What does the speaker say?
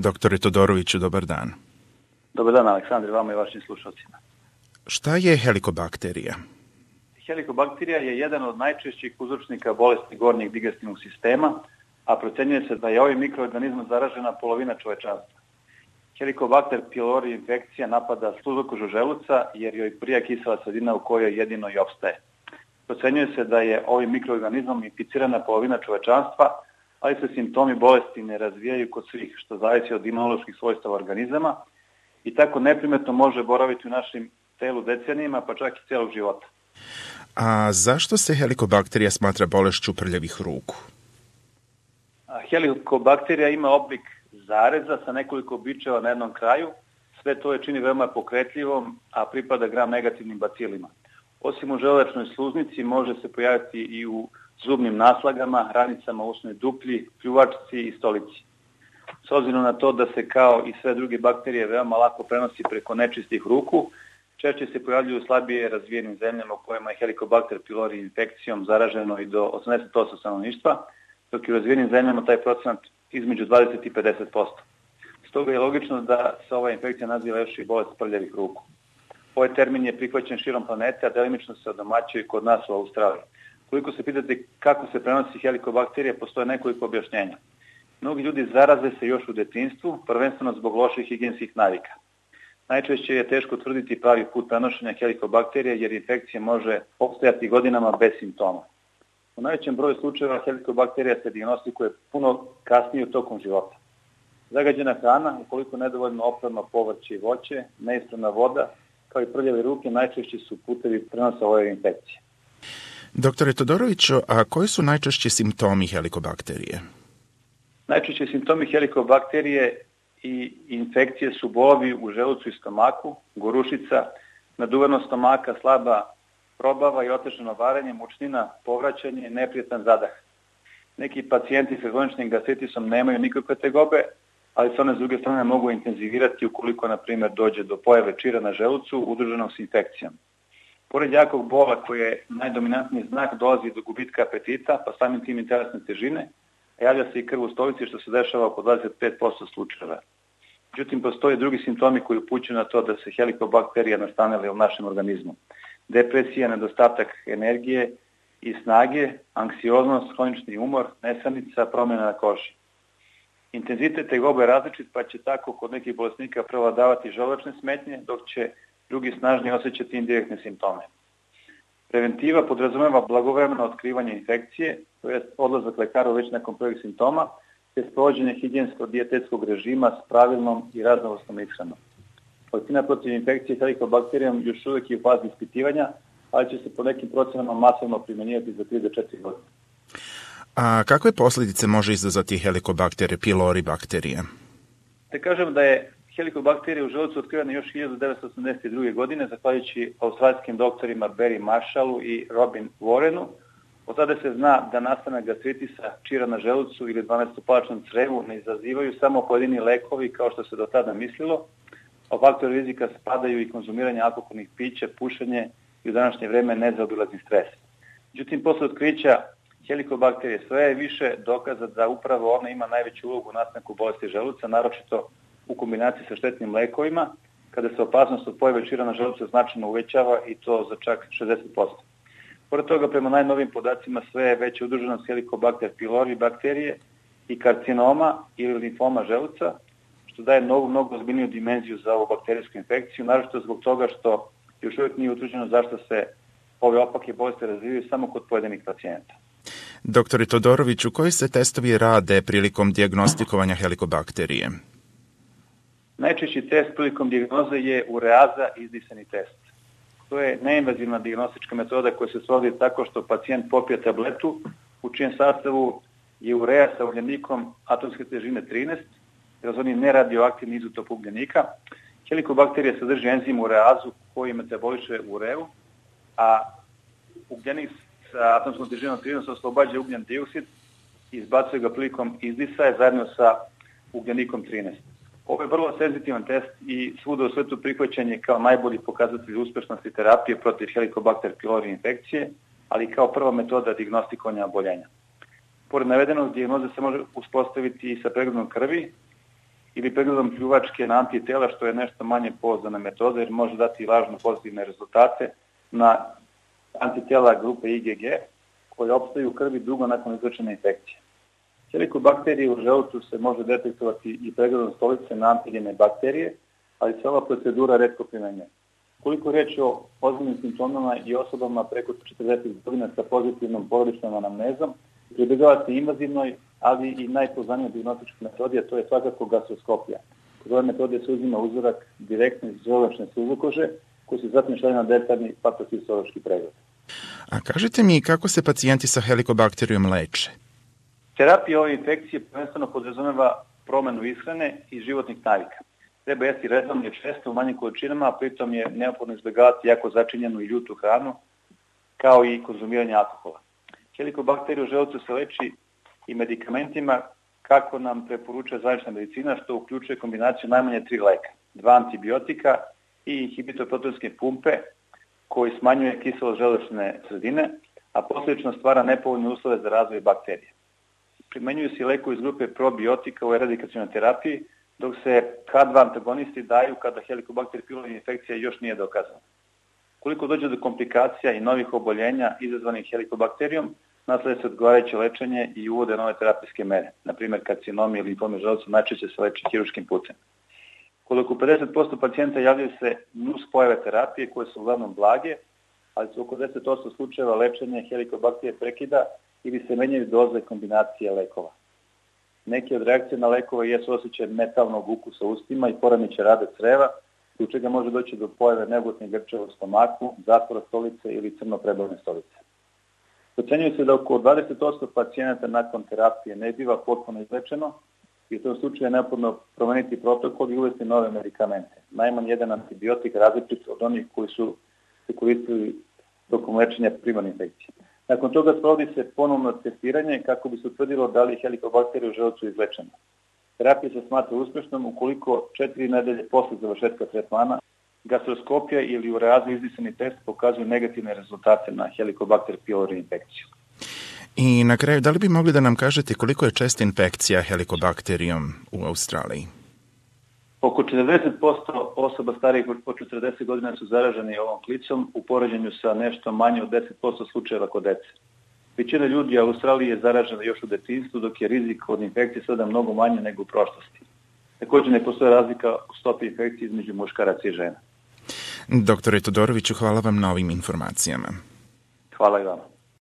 Doktore Todoroviću, dobar dan. Dobar dan, Aleksandre, vama i vašim slušalcima. Šta je helikobakterija? Helikobakterija je jedan od najčešćih uzročnika bolesti gornjeg digestivnog sistema, a procenjuje se da je ovim mikroorganizmom zaražena polovina čovečanstva. Helikobakter pylori infekcija napada sluzokožu želuca jer joj prija kisela sredina u kojoj jedino i opstaje. Procenjuje se da je ovim mikroorganizmom inficirana polovina čovečanstva, ali se simptomi bolesti ne razvijaju kod svih, što zavisi od imunoloških svojstava organizama i tako neprimetno može boraviti u našem telu decenijima, pa čak i celog života. A zašto se helikobakterija smatra bolešću prljavih ruku? Helikobakterija ima oblik zareza sa nekoliko bičeva na jednom kraju. Sve to je čini veoma pokretljivom, a pripada gram negativnim bacilima. Osim u želučnoj sluznici može se pojaviti i u zubnim naslagama, hranicama, usnoj duplji, pljuvačci i stolici. S obzirom na to da se kao i sve druge bakterije veoma lako prenosi preko nečistih ruku, češće se pojavljuju u slabije razvijenim zemljama u kojima je helikobakter pylori infekcijom zaraženo i do 80% stanovništva, dok je u razvijenim zemljama taj procenat između 20 i 50%. Stoga je logično da se ova infekcija naziva još i bolest prljavih ruku. Ovaj termin je prihvaćen širom planete, a delimično se odomaćuje kod nas u Australiji. Koliko se pitate kako se prenosi helikobakterija, postoje nekoliko objašnjenja. Mnogi ljudi zaraze se još u detinjstvu, prvenstveno zbog loših higijenskih navika. Najčešće je teško tvrditi pravi put prenošenja helikobakterije jer infekcija može opstajati godinama bez simptoma. U najvećem broju slučajeva helikobakterija se dijagnostikuje puno kasnije u tokom života. Zagađena hrana, ukoliko nedovoljno oprano povrće i voće, neispravna voda, kao i prljave ruke najčešći su putevi prenosa ove infekcije. Doktore Todoroviću, a koji su najčešći simptomi helikobakterije? Najčešći simptomi helikobakterije i infekcije su bolovi u želucu i stomaku, gorušica, naduvanost stomaka, slaba probava i otežano varenje, mučnina, povraćanje, neprijetan zadah. Neki pacijenti sa hroničnim gastritisom nemaju nikakve tegobe, ali se one s druge strane mogu intenzivirati ukoliko, na primjer, dođe do pojave čira na želucu udruženog s infekcijom. Pored jakog bola, koji je najdominantniji znak, dolazi do gubitka apetita, pa samim tim i telesne težine, a javlja se i krv u stolici, što se dešava oko 25% slučajeva. Međutim, postoje drugi simptomi koji upućuju na to da se helikobakterija nastanila u našem organizmu. Depresija, nedostatak energije i snage, anksioznost, hronični umor, nesanica, promjena na koži. Intenzitet tegobe je različit, pa će tako kod nekih bolesnika prevladavati želučne smetnje, dok će drugi snažnije osjećati indirektne simptome. Preventiva podrazumeva blagovremeno otkrivanje infekcije, to je odlazak lekaru već nakon prvih simptoma, te sprovođenje higijensko-dijetetskog režima s pravilnom i raznovrsnom ishranom. Vakcina protiv infekcije helikobakterijom još uvijek je u fazi ispitivanja, ali će se po nekim procenama masovno primjenjivati za 3 do 4 godine. A kakve posljedice može izazvati helikobakter pylori bakterije? Te kažem da je helikobakterija u želucu otkrivena još 1982. godine, zahvaljujući australijskim doktorima Barry Marshallu i Robin Warrenu. Od tada se zna da nastanak gastritisa, čira na želucu ili 12-palačnom crevu ne izazivaju samo pojedini lekovi kao što se do tada mislilo, a faktori rizika spadaju i konzumiranje alkoholnih pića, pušenje i u današnje vreme nezaobilazni stres. Međutim, posle otkrića helikobakterije sve je više dokaza da upravo ona ima najveću ulogu u nastanku bolesti želuca, naročito u kombinaciji sa štetnim lekovima, kada se opasnost od pojave čira na želucu značajno uvećava i to za čak 60%. Pored toga, prema najnovim podacima, sve je veća udruženost helikobakter pylori bakterije i karcinoma ili limfoma želuca, što daje mnogo ozbiljniju dimenziju za ovu bakterijsku infekciju, naročito zbog toga što još uvijek nije utvrđeno zašto se ove opake bolesti razvijaju samo kod pojedinih pacijenta. Doktore Todoroviću, koji se testovi rade prilikom dijagnostikovanja helikobakterije? Najčešći test prilikom dijagnoze je ureaza izdisani test. To je neinvazivna dijagnostička metoda koja se svodi tako što pacijent popije tabletu u čijem sastavu je urea sa ugljenikom atomske težine 13, jer oni neradioaktivni izotop ugljenika. Helikobakterija sadrži enzim ureazu koji metaboliše ureu, a ugljenik sa atomskom težinom 13 oslobađa ugljen dioksid i izbacuje ga prilikom izdisaja zajedno sa ugljenikom 13. Ovo je vrlo senzitivan test i svuda u svetu prihvaćen je kao najbolji pokazatelj uspešnosti terapije protiv helikobakter pylori infekcije, ali kao prva metoda dijagnostikovanja oboljenja. Pored navedenog, dijagnoza se može uspostaviti i sa pregledom krvi ili pregledom pljuvačke na antitela, što je nešto manje pouzdana metoda jer može dati lažno pozitivne rezultate na antitela grupe IgG koje opstaju u krvi dugo nakon izlečene infekcije. Helikobakterije u želucu se može detektovati i pregledom stolice na antigene bakterije, ali se ova procedura retko primenjuje. Koliko je reč o ozbiljnim simptomima i osobama preko 40 godina sa pozitivnom porodičnom anamnezom, pribegavate invazivnoj, ali i najpoznanijoj dijagnostičkoj metodi, a to je svakako gastroskopija. Kod ove metode se uzima uzorak direktno iz želučne suzokože, koji se zatim šalje na detaljni patofisiološki pregled. A kažite mi kako se pacijenti sa helikobakterijom leče? Terapija ove infekcije prvenstveno podrazumeva promenu ishrane i životnih navika. Treba jesti redovno i često u manjim količinama, a pritom je neophodno izbjegavati jako začinjenu i ljutu hranu, kao i konzumiranje alkohola. Helikobakterija u želucu se leči i medikamentima kako nam preporučuje zvanična medicina, što uključuje kombinaciju najmanje 3 leka, 2 antibiotika i inhibitor proteinske pumpe koji smanjuje kiselost želučne sredine, a posljedično stvara nepovoljne uslove za razvoj bakterije. Primenjuju se lekovi iz grupe probiotika u eradikacionoj terapiji, dok se K2 antagonisti daju kada Helicobacter pylori infekcija još nije dokazana. Koliko dođe do komplikacija i novih oboljenja izazvanih helikobakterijom, naslede se odgovarajuće lečenje i uvode nove terapijske mere. Na primjer, karcinomi ili limfomi želuca najčešće se leče hiruškim putem. Koliko 50% pacijenta javljaju se nuspojave terapije koje su uglavnom blage, ali su oko 10% slučajeva lečenje helikobakterije prekida ili se menjaju doze kombinacije lekova. Neke od reakcije na lekove jesu osjećaj metalnog ukusa u ustima i poremećaj rada creva, zbog čega može doći do pojave neugodnih grčeva u stomaku, zatvora stolice ili crno-prebavne stolice. Procenjuje se da oko 20% pacijenata nakon terapije ne biva potpuno izlečeno i u tom slučaju je neophodno promeniti protokol i uvesti nove medikamente. Najmanje jedan antibiotik različit od onih koji su se koristili tokom lečenja primarne infekcije. Nakon toga sprovodi se ponovno testiranje kako bi se utvrdilo da li je helikobakterija u želucu izlečena. Terapija se smatra uspešnom ukoliko 4 nedelje posle završetka tretmana gastroskopija ili ureazni izdisani test pokazuju negativne rezultate na Helicobacter pylori infekciju. I na kraju, da li bi mogli da nam kažete koliko je česta infekcija helikobakterijom u Australiji? Oko 40% osoba starijih od 40 godina su zaraženi ovom klicom u poređenju sa nešto manje od 10% slučajeva kod dece. Većina ljudi u Australiji je zaražena još u detinjstvu, dok je rizik od infekcije sada mnogo manje nego u prošlosti. Također ne postoje razlika u stopi infekcije između muškaraca i žena. Doktore Todoroviću, hvala vam na ovim informacijama. Hvala i vama.